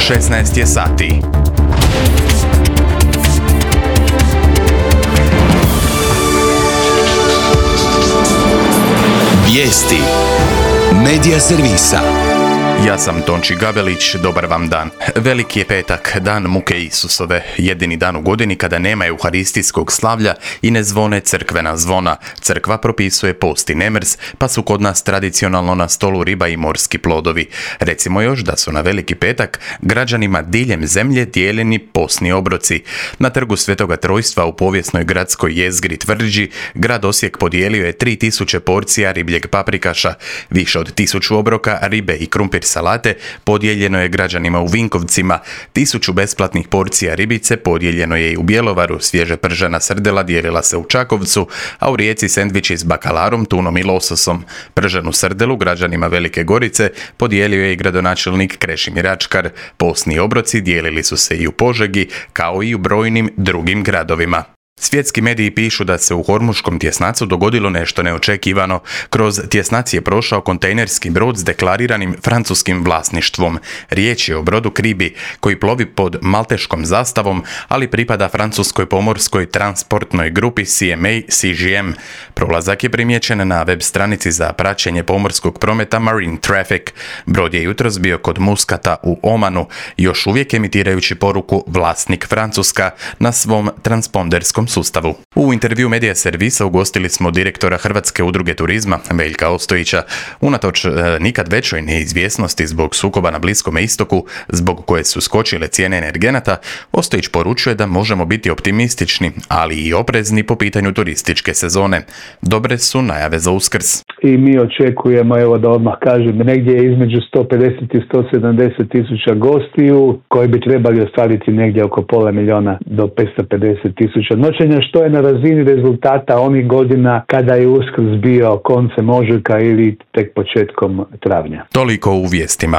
16 je sati. Vijesti Medija servisa. Ja sam Tonči Gabelić, dobar vam dan. Veliki je petak, dan muke Isusove, jedini dan u godini kada nema euharistijskog slavlja i ne zvone crkvena zvona. Crkva propisuje post i nemrs, pa su kod nas tradicionalno na stolu riba i morski plodovi. Recimo još da su na Veliki petak građanima diljem zemlje dijeljeni postni obroci. Na trgu Svetoga Trojstva u povijesnoj gradskoj jezgri Tvrđi, grad Osijek podijelio je 3000 porcija ribljeg paprikaša, više od 1000 obroka ribe i krumpir salate podijeljeno je građanima u Vinkovcima, 1000 besplatnih porcija ribice podijeljeno je i u Bjelovaru, svježe pržena srdela dijelila se u Čakovcu, a u Rijeci sendviči s bakalarom, tunom i lososom. Prženu srdelu građanima Velike Gorice podijelio je i gradonačelnik Krešimir Ačkar. Postni obroci dijelili su se i u Požegi, kao i u brojnim drugim gradovima. Svjetski mediji pišu da se u hormuškom tjesnacu dogodilo nešto neočekivano. Kroz tjesnac je prošao kontejnerski brod s deklariranim francuskim vlasništvom. Riječ je o brodu Kribi, koji plovi pod malteškom zastavom, ali pripada francuskoj pomorskoj transportnoj grupi CMA-CGM. Prolazak je primijećen na web stranici za praćenje pomorskog prometa Marine Traffic. Brod je jutros bio kod Muskata u Omanu, još uvijek emitirajući poruku vlasnik Francuska na svom transponderskom sustavu. U intervju Medija servisa ugostili smo direktora Hrvatske udruge turizma Veljka Ostojića. Unatoč nikad većoj neizvjesnosti zbog sukoba na Bliskom istoku, zbog koje su skočile cijene energenata, Ostojić poručuje da možemo biti optimistični, ali i oprezni po pitanju turističke sezone. Dobre su najave za Uskrs. I mi očekujemo, evo da odmah kažem, negdje između 150 i 170 tisuća gostiju koji bi trebali ostvariti negdje oko 500.000 do 550 tisuća noćenja, što je na razini rezultata onih godina kada je Uskrs bio koncem ožujka ili tek početkom travnja. Toliko u vijestima.